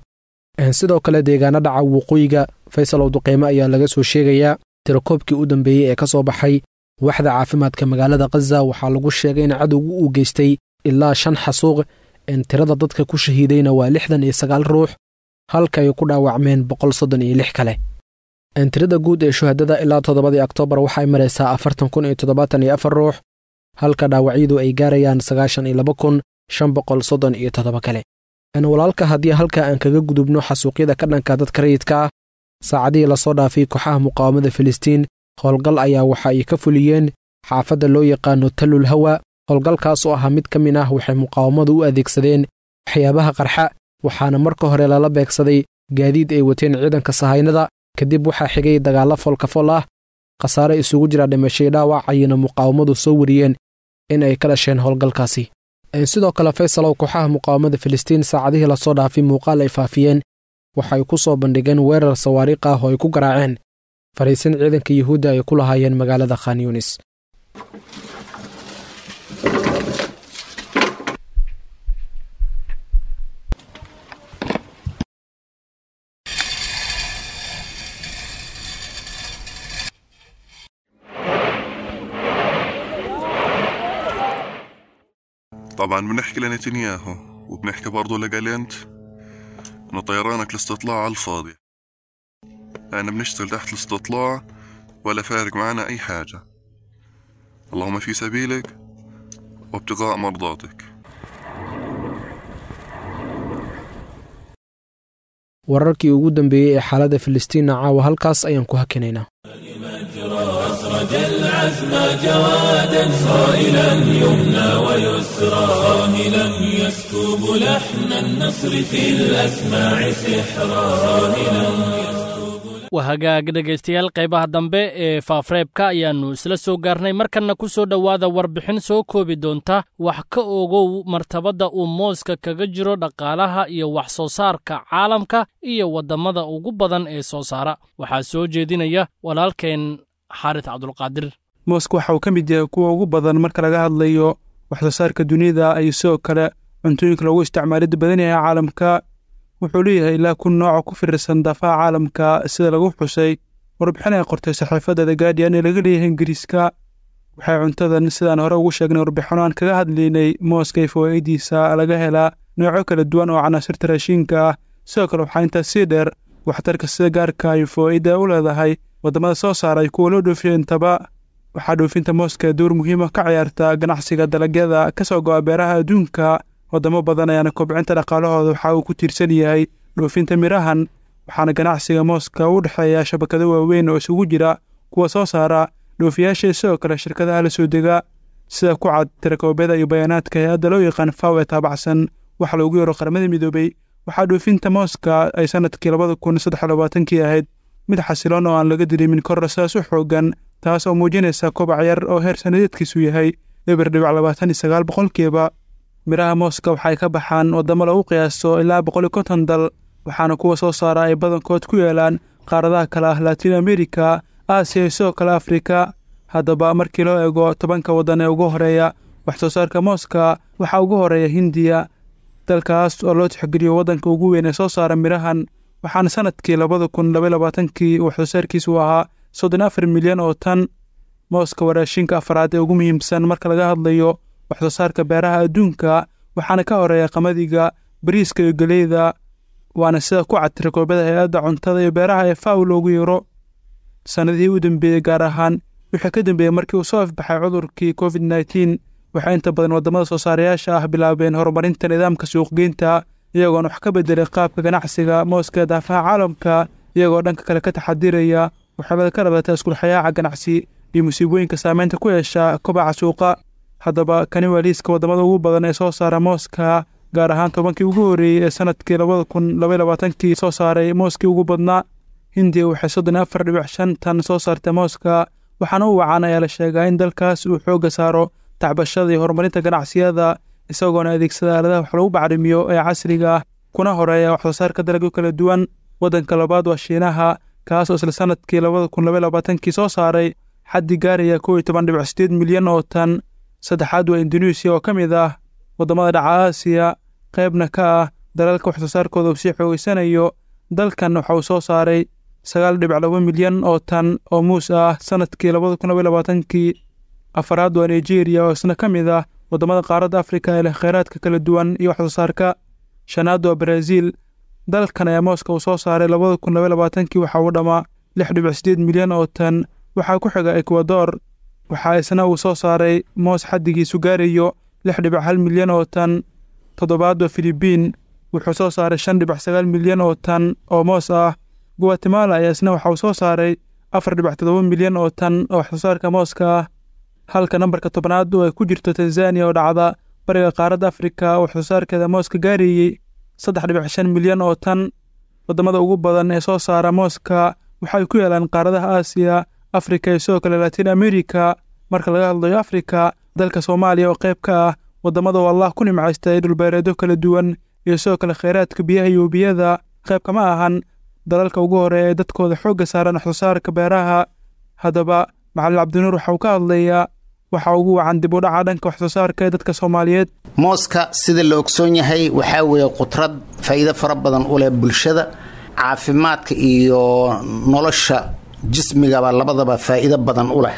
Sidoo kale deegaano dhaca waqooyiga Faysal oo duqaymo ayaa laga soo sheegayaa. Tirakoobkii u dambeeyey ee ka soo baxay waxda caafimaadka magaalada Khaza waxaa lagu sheegay in cadowgu uu geystay ilaa 5 xasuuq. Tirada dadka ku shahiidayna waa 69 ruux, halka ay ku dhaawacmeen 136 kale. Tirada guud ee shuhadada ilaa 7dii Oktoobar waxay maraysaa 40,074 ruux, halka dhaawacyadu ay gaarayaan 92,537 kale. Walaalka, haddii halka aan kaga gudubno xasuuqyada ka dhanka dadka rayidka ah, saacadihii lasoo dhaafay kooxaha muqaawamada Filistiin howlgal ayaa waxa ay ka fuliyeen xaafadda loo yaqaano Tallul Hawa. Howlgalkaas oo ahaa mid ka mid ah waxay muqaawamadu u adeegsadeen waxyaabaha qarxa, waxaana marka hore lala beegsaday gaadiid ay wateen ciidanka sahaynada. Kadib waxaa xigay dagaallo foolkafol ah, khasaare isugu jira dhimashay dhaawac ayayna muqaawamadu soo wariyeen in ay ka dhasheen howlgalkaasi. Sidoo kale Faysalow, kooxaha muqaawamada Filistiin saacadihii lasoo dhaafay muuqaal ay faafiyeen waxay ku soo bandhigeen weerar sawaariikh ah oo ay ku garaaceen fariisin ciidanka Yuhuudda ay ku lahaayeen magaalada Khan Yunis. طبعا بنحكي لنتنياهو وبنحكي برضه لجالنت انه طيرانك الاستطلاع على الفاضي، لأن بنشتغل تحت الاستطلاع ولا فارق معنا أي حاجة، اللهم في سبيلك وابتغاء مرضاتك. Wararkii ugu dambeeyey ee xaaladda Filistiinna caawa halkaas ayaan ku hakinaynaa. أسرج العزم جوادا صائلا يمنى ويسرى، صاهلا يسكب لحن النصر في الأسماع سحرا. Waa hagaag dhegaystayaal, qaybaha dambe ee faafreebka ayaannu isla soo gaarnay. Markanna ku soo dhowaada warbixin soo koobi doonta wax ka ogow martabadda uu mooska kaga jiro dhaqaalaha iyo wax soo saarka caalamka iyo waddamada ugu badan ee soo saara. Waxaa soo jeedinaya walaalkeen Xaaris Cabdulqaadir. Mooska waxa uu ka mid yahay kuwa ugu badan marka laga hadlayo wax soo saarka dunida iyo sidoo kale cuntooyinka loogu isticmaalida badan yahay caalamka. Wuxuu leeyahay ilaa 1000 nooc oo ku firirsan daafaha caalamka, sida lagu xusay Warbixin ay qortay saxiifadda The Guardian ee laga leeyahay Ingiriiska. Waxay cuntadan, sidaan hore ugu sheegnay warbixino aan kaga hadlaynay mooska iyo fawaa'idiisa, laga helaa noocyo kala duwan oo canaasirta raashinka ah. Sidoo kale waxaa intaas sii dheer waxtarka sida gaarka ay fawaa'ida u leedahay waddamada soo saaray kuwa loo dhoofiyo intaba. Waxaa dhoofinta mooska door muhiim ah ka ciyaarta ganacsiga dalagyada ka soo go'a beeraha adduunka. Waddamo badan ayaana kobcinta dhaqaalahooda waxa uu ku tiirsan yahay dhoofinta mirahan, waxaana ganacsiga mooska u dhexeeya shabakado waaweyn oo isugu jira kuwa soo saara, dhoofiyaasha iyo sidoo kale shirkadaha la soo dega. Sida ku cad tirakoobyada iyo bayaanaadka hay-adda loo yaqaan FAO ee taabacsan waxa loogu yeero Qaramada Midoobay, waxaa dhoofinta mooska ay sanadkii 2023kii ahayd mid xasiloon oo aan laga dareemin koror sidaas u xoogan, taas oo muujinaysa kobac yar oo heer sanadeedkiisu yahay 0.29%. Miraha mooska waxay ka baxaan waddamo lagu qiyaaso ilaa 150 dal, waxaana kuwa soo saara ay badankood ku yeelaan qaaradaha kale ah Latin America, Aasiya iyo sidoo kale Afrika. Haddaba markii loo eego 10ka waddan ee ugu horeeya wax soo saarka mooska, waxaa ugu horeeya Hindiya, dalkaas oo loo tixgeliyo waddanka ugu weyn ee soo saara mirahan, waxaana sanadkii 2022kii wax soo saarkiisu ahaa 34 milyan oo tan. Mooska waa raashinka afraad ee ugu muhiimsan marka laga hadlayo wax soo saarka beeraha adduunka, waxaana ka horeeya qamadiga, bariiska iyo geleyda, waana sida ku cad tirakoobyada hay-adda cuntada iyo beeraha ee FAO loogu yeero. Sanadihii u dambeeyey, gaar ahaan wixii ka dambeeyey markii uu soo afbaxay cudurkii COVID-19, waxay inta badan waddamada soo saarayaasha ah bilaabeen horumarinta nidaamka suuqgeynta, iyagoona wax ka bedelay qaabka ganacsiga mooska ee daafaha caalamka, iyagoo dhanka kale ka taxadiraya waxyeelada ka dhalata iskulxayaaca ganacsi iyo musiibooyinka saameynta ku yeesha kobaca suuqa. Haddaba kani waa liiska waddamada ugu badan ee soo saara mooska, gaar ahaan 10kii ugu horreeyey ee sanadkii 2022kii soo saaray mooskii ugu badnaa. Hindiya waxay 34.5 tan soo saartay mooska, waxaana u wacan ayaa la sheegaa in dalkaas uu xoogga saaro tacbashada iyo horumarinta ganacsiyada, isagoona adeegsada aaladaha wax lagu bacrimiyo ee casriga ah, kuna horeeya wax soo saarka dalagyo kala duwan. Waddanka labaad waa Shiinaha, kaas oo isla sanadkii 2022kii soo saaray xaddi gaaraya 11.8 milyan oo tan. Saddexaad waa Induneisiya oo ka mid ah waddamada dhaca Aasiya, qaybna ka ah dalalka wax soo saarkooda uu sii xoogeysanayo. Dalkan waxa uu soo saaray 9.2 milyan oo tan oo muus ah sanadkii 2022kii. Afaraad waa Nigeria oo isna ka mid ah waddamada qaaradda Afrika ee leh kheyraadka kala duwan iyo wax soo saarka. Shanaad waa Brazil. Dalkan ayaa mooska uu soo saaray 2022kii waxa uu dhammaa 6.8 milyan oo tan. Waxaa ku xiga Ecuador, waxaa isna uu soo saaray moos xaddigiisu gaarayo 6.1 milyan oo tan. Toddobaad waa Filibiin, wuxuu soo saaray 5.9 milyan oo tan oo moos ah. Guatemala ayaa isna waxa uu soo saaray 4.7 milyan oo tan oo wax soo saarka mooska ah, halka nambarka 10aad oo ay ku jirto Tanzania oo dhacda bariga qaaradda Afrika oo wax soo saarkeeda mooska gaarayey 3.5 milyan oo tan. Waddamada ugu badan ee soo saara mooska waxay ku yaalaan qaaradaha Aasiya, Afrika iyo sidoo kale Latin America. Marka laga hadlayo Afrika, dalka Soomaaliya oo qayb ka ah waddamada oo Allah ku nimcaystay dhulbeereedyo kala duwan iyo sidoo kale kheyraadka biyaha iyo webiyada, qayb kama ahan dalalka ugu horeeya ee dadkooda xoogga saaran wax soo saarka beeraha. Haddaba Macallin Cabdinuur waxa uu ka hadlayaa waxa ugu wacan dib u dhaca dhanka wax soo saarka ee dadka Soomaaliyeed. Mooska sida la ogsoon yahay waxaa weeye qudrad faa'iido fara badan u leh bulshada, caafimaadka iyo nolosha jismigaba labadaba faa'iido badan u leh.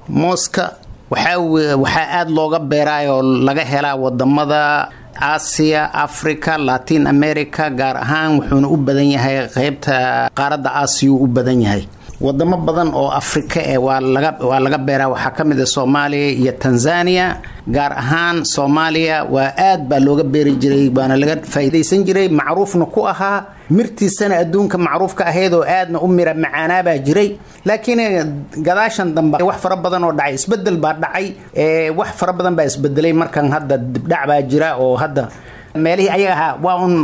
Mooska waxaa weye waxaa aada looga beeraayoo laga helaa wadamada Aasiya, Africa, Latin America, gaar ahaan wuxuuna u badan yahay qeybta qaaradda Aasiya u badan yahay. Wadamo badan oo Afrika eh waa laga beeraa, waxaa ka mid ah Soomaaliya iyo Tanzania. Gaar ahaan Soomaaliya waa aad baa looga beeri jiray, waana laga faa'iidaysan jiray, macruufna ku ahaa, mirtiisana adduunka macruufka ahayd oo aadna u mira macaanaabaa jiray. Laakiin gadaashan dambe wax fara badan oo dhacay, isbedel baa dhacay, wax fara badan baa isbedelay. Markan hadda dibdhac baa jira oo hadda meelihii ayaga ahaa waa un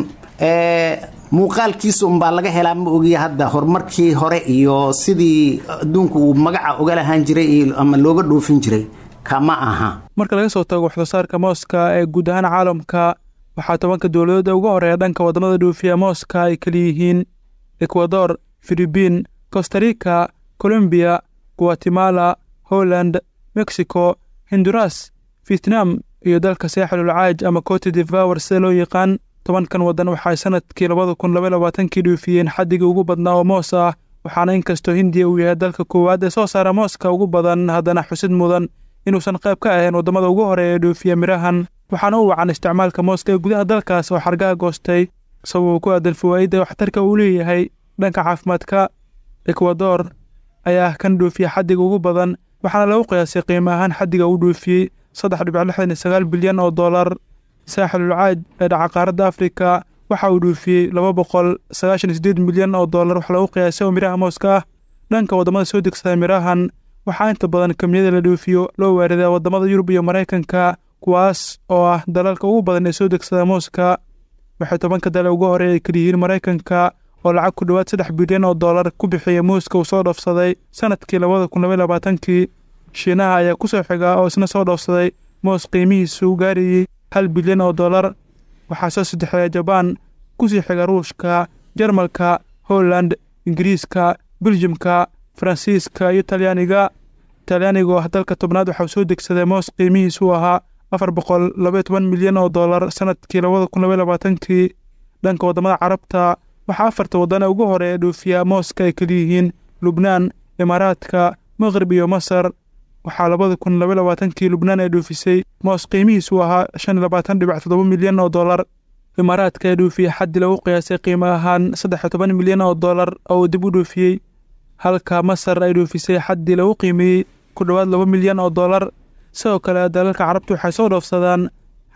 muuqaalkiisa unbaa laga helaa, ma ogiya hadda horumarkii hore iyo sidii adduunku uu magaca uga lahaan jiray ama looga dhoofin jiray kama aha. Marka laga soo tago wax soo saarka mooska ee guud ahaan caalamka, waxaa 10ka dowladood ee ugu horeeya dhanka waddamada dhoofiya mooska ay kala yihiin Ecuador, Filibiin, Costa Rica, Colombia, Guatemala, Holland, Mexico, Honduras, Vietnam iyo dalka Saaxilul Caaj ama Cote d'Ivoire sida loo yaqaan. 10kan waddan waxay sanadkii 2022kii dhoofiyeen xaddigii ugu badnaa oo moos ah, Waxaana inkastoo Hindiya uu yahay dalka koowaad ee soo saara mooska ugu badan, haddana xusid mudan inuusan qayb ka ahayn waddamada ugu horeeya ee dhoofiya midhahan. Waxaana u wacan isticmaalka mooska ee gudaha dalkaas oo xargaha goostay, sababuu ku aadan fawaa'idda waxtarka uu leeyahay dhanka caafimaadka. Ekwador ayaa ah kan dhoofiya xaddiga ugu badan, waxaana lagu qiyaasay qiimo ahaan xaddiga uu dhoofiyey 3.69 bilyan oo dollar. Saaxilul Caaj ee dhaca qaaradda Afrika waxa uu dhoofiyey 298 milyan oo dollar wax lagu qiyaasay oo midhaha mooska ah. Dhanka waddamada soo degsada midhahan, waxaa inta badan kamiyada la dhoofiyo loo waaridaa waddamada Yurub iyo Maraykanka, kuwaas oo ah dalalka ugu badan ee soo degsada mooska. Waxay 10ka dal ugu horeeya ay kaliyihiin Maraykanka oo lacag ku dhowaad 3 bilyan oo dollar ku bixiyay muuska uu soo dhoofsaday sanadkii 2022kii. Shiinaha ayaa ku soo xiga oo isna soo dhoofsaday moos qiimihiisu gaarayay 1 bilyan oo dollar. Waxaa soo saddexeeya Jabaan, kusii xiga Ruushka, Jarmalka, Holland, Ingiriiska, Biljimka, Faransiiska iyo Talyaaniga. Talyaaniga oo ah dalka 10aad waxaa soo degsaday moos qiimihiisu ahaa 412 milyan oo dollar sanadkii 2022kii. Dhanka waddamada Carabta, waxaa afarta waddan ee ugu horeeya dhoofiya mooska ay kaliyihiin Lubnaan, Imaaraadka, Maqrib iyo Masar. Waxaa 2022kii Lubnaan ay dhoofisay moos qiimihiisu ahaa 25.7 milyan oo dollar. Imaaraadka ee dhoofiyey xaddi lagu qiyaasay qiimo ahaan 13 milyan oo dollar oo uu dib u dhoofiyey, halka Masar ay dhoofisay xaddi lagu qiimeeyey ku dhowaad 2 milyan oo dollar. Sidoo kale dalalka Carabtu waxay soo dhoofsadaan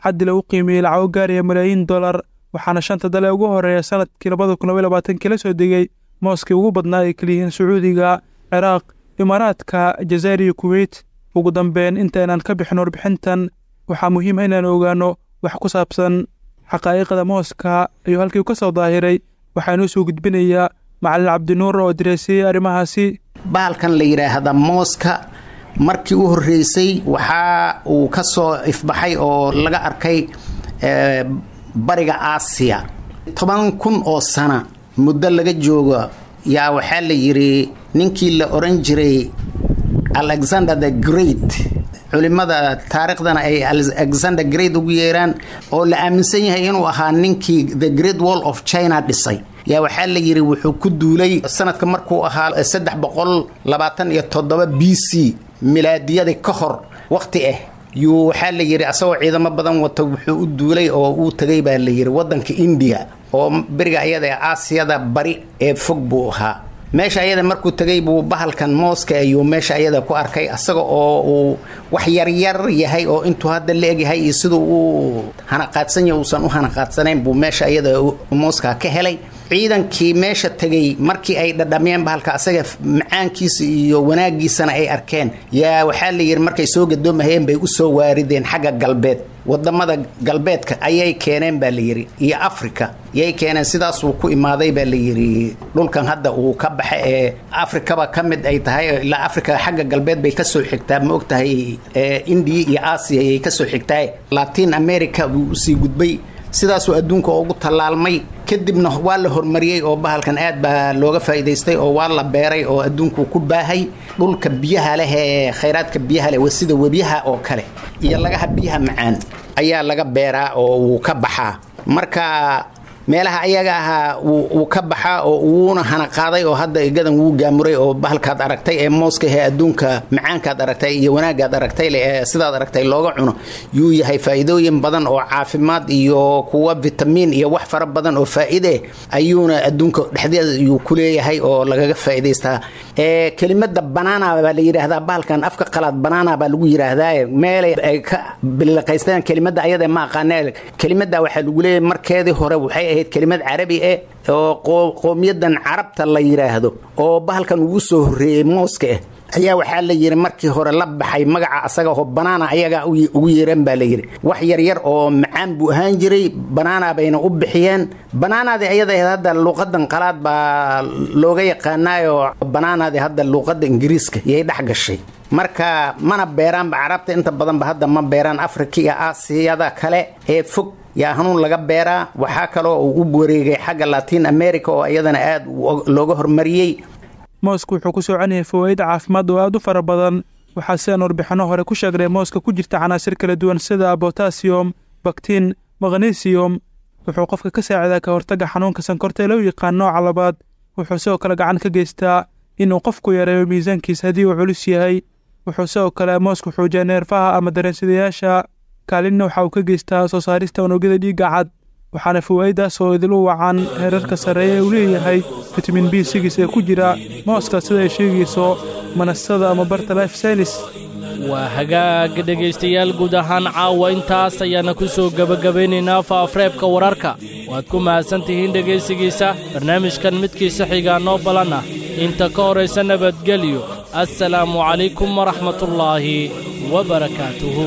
xaddi lagu qiimeeyey lacago gaaraya malaayiin dollar, waxaana shanta dal ee ugu horeeya sanadkii 2022kii la soo degay mooskii ugu badnaa ay kaliyihiin Sacuudiga, Ciraaq, Imaaraadka, Jazaa'ir iyo Kuwait. Ugu dambeyn, intaynaan ka bixin warbixintan, waxaa muhiim ah inaan ogaano wax ku saabsan xaqaa'iqda mooska ayuu halkii ka soo daahiray. Waxaa inoo soo gudbinayaa Macalin Cabdinuur oo direysayey arrimahaasi. Bahalkan la yidhaahda mooska markii u horreysay waxaa uu ka soo ifbaxay oo laga arkay bariga Aasiya 10,000 oo sana muddo laga joogo. Yaa waxaa la yidhi ninkii la oran jiray Alexander the Great, culimada taariikhdana ay Alexander Great ugu yeeraan, oo la aaminsan yahay inuu ahaa ninkii the Great Wall of China dhisay, yaa waxaa la yidhi wuxuu ku duulay sanadka markuu ahaa 327 BC, milaadiyadii ka hor waqti ah, yuu waxaa la yidhi asagoo ciidamo badan wata wuxuu u duulay oo uu tagay baa la yidhi waddanka India, oo beriga ayada ee Aasiyada bari ee fog buu ahaa. Meesha ayada markuu tagay buu bahalkan mooska ayuu meesha ayada ku arkay, asaga oo uu wax yaryar yahay oo intuu hadda la egyahay iyo siduu uu hanaqaadsan yahay uusan u hanaqaadsanayn buu meesha ayada mooska ka helay. Ciidankii meesha tegay markii ay dhadhamiyeen bahalka asaga macaankiisa iyo wanaagiisana ay arkeen, yaa waxaa la yidhi markay soo gadoomahayeen bay usoo waarideen xagga galbeed, wadamada galbeedka ayay keeneen baa la yidhi, iyo Africa yay keeneen. Sidaasuu ku imaaday baa la yidhi dhulkan hadda uu ka baxa ee Afrikaba ka mid ay tahay. Ilaa Africa xagga galbeed bay kasoo xigtaa, ma ogtahay, Indiya iyo Aasiya ayay kasoo xigtaa. Latin America buu usii gudbay, sidaasuu adduunka ugu tallaalmay. Kadibna waa la horumariyey oo bahalkan aad baa looga faa'iidaystay oo waa la beeray oo adduunku ku baahay. Dhulka biyaha leh ee khayraadka biyaha leh, sida webiyaha oo kale iyo lagaha biyaha macaan, ayaa laga beeraa oo wuu ka baxaa. Marka meelaha ayaga ahaa wuu ka baxaa oo wuuna hana qaaday oo hadda igadan wuu gaamuray, oo bahalkaad aragtay ee mooska ee adduunka macaankaad aragtay iyo wanaagaad aragtay ee sidaad aragtay looga cuno yuu yahay. Faa'iidooyin badan oo caafimaad iyo kuwa vitamiin iyo wax fara badan oo faa'iide ayuuna adduunka dhexdeeda yuu ku leeyahay oo lagaga faa'iidaystaa. Kelimada banana baa la yidhaahdaa bahalkan, afka qalaad banana baa lagu yidhaahdaa. Meelay ay ka biliqaysteen kelimada ayada ma aqaanee. Kelimada waxaa lagu leeyahay markeedii hore waxay ahayd kelimad carabi eh oo qowmiyadan Carabta la yidhaahdo oo bahalkan ugu soo horreeyey mooska ah ayaa waxaa la yidhi markii hore la baxay magaca asaga oo banaana ayagaa ugu yeereen baa la yidhi. Wax yaryar oo macaan buu ahaan jiray, banaana bayna u bixiyeen. Banaanaadii ayada ahayd hadda luuqadan qalaad baa looga yaqaanaayoo banaanaadii hadda luuqadda Ingiriiska yay dhex gashay. Marka mana beeraanba Carabta inta badanba, hadda ma beeraan. Afrika iyo Aasiyada kale ee fog yaa hanuun laga beeraa. Waxaa kaloo uu u wareegay xagga Latin America oo iyadana aad looga hormariyey. Moosku wuxuu ku soconayay fawaa'id caafimaad oo aad u fara badan. Waxaa sidaan warbixinno hore ku sheegnay mooska ku jirta canaasir kala duwan sida botasiyom, baktiin, maknesiyom. Wuxuu qofka ka saacidaa ka hortagga xanuunka sankorta ee loo yaqaan nooca labaad. Wuxuu sidoo kale gacan ka geystaa inuu qofku yareeyo miisaankiisa haddii uu culus yahay. Wuxuu sidoo kale moosku xoojiyaa neerfaha ama dareensidayaasha. Kaalinna waxa uu ka geystaa soo saarista unugyada dhiigga cad, waxaana fawaa'idaas oo idilu wacan heerarka sarreeya ee uu leeyahay fitamiin B sigis ee ku jira mooska, sida ay sheegayso manasada ama barta Life Saynis. Waa hagaag dhegaystayaal, guud ahaan caawa intaas ayaana ku soo gebagabaynaynaa faafreebka wararka. Waad ku mahadsan tihiin dhegaysigiisa barnaamijkan. Midkiisa xigaa noo balan ah, inta ka horaysa nabadgelyo. Assalaamu calaykum waraxmatullaahi wa barakaatuhu.